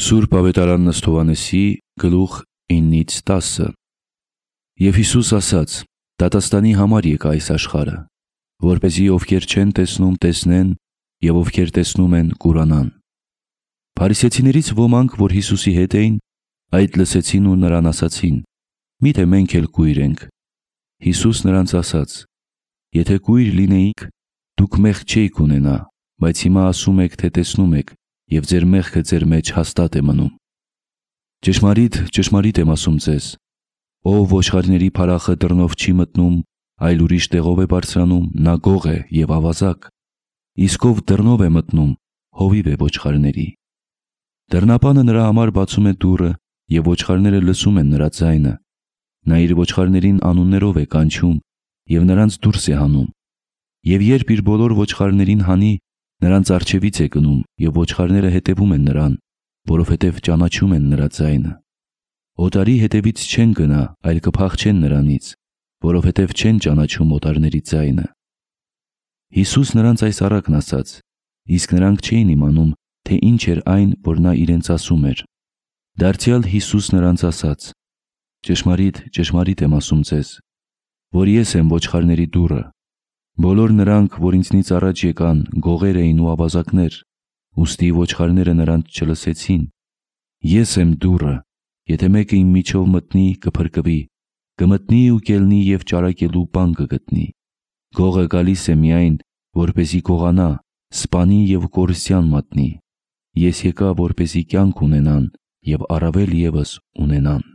Սուրբ Ավետարան Ըստ Հովհաննեսի գլուխ 9-10 Եվ Հիսուս ասաց. դատաստանի համար եկա այս աշխարհը, որպեսզի ովքեր չեն տեսնում տեսնեն, և ովքեր տեսնում են կուրանան։ Փարիսեցիներից ոմանք, որ Հիսուսի հետ էին, այդ լսեցին ու նրան ասացին. միթե մենք էլ կույր ենք։ Հիսուս նրանց ասաց. եթե կույր լինեիք, դուք մեղք չէիք ունենա, բայց հիմա ասում եք, թե տեսնում եք, և ձեր մեղքը ձեր մեջ հաստատ է մնում։ Ճշմարիտ, ճշմարիտ եմ ասում ձեզ, ով ոչխարների փարախը դռնով չի մտնում, այլ ուրիշ տեղով է բարձրանում, նա գող է և ավազակ, իսկ ով դռնով է մտնում, հովիվ է ոչխարների։ Դռնապանը նրա համար բացում է դուռը, և ոչխարները լսում են նրա ձայնը։ Նա իր ոչխարներին անուններով է կանչում և նրանց դուրս է հանում։ Եվ երբ իր բոլոր ոչխարներին հանի, նրանց առջևից է գնում, և ոչխարները հետևում են նրան, որովհետև ճանաչում են նրա ձայնը։ Օտարի հետևից չեն գնա, այլ կփախչեն նրանից, որովհետև չեն ճանաչում օտարների ձայնը։ Հիսուս նրանց այս առակն ասաց, իսկ նրանք չէին իմանում, թե ինչ էր այն, որ նա իրենց ասում էր։ Դարձյալ Հիսուս նրանց ասաց. ճշմարիտ, ճշմարիտ եմ ասում ձեզ, որ ես եմ ոչխարների դուռը։ Բոլոր նրանք, որ ինձնից առաջ եկան, գողեր էին ու ավազակներ, ուստի ոչխարները նրանց չլսեցին։ Ես եմ դուռը, եթե մեկը իմ միջով մտնի, կփրկվի, կմտնի ու կելնի և ճարակելու բան կգտնի։ Գողը գալիս է միայն, որպեսզի գողանա, սպանի և կորստյան մատնի։ Ես եկա, որպեսզի կյանք ունենան և առավել ևս ունենան։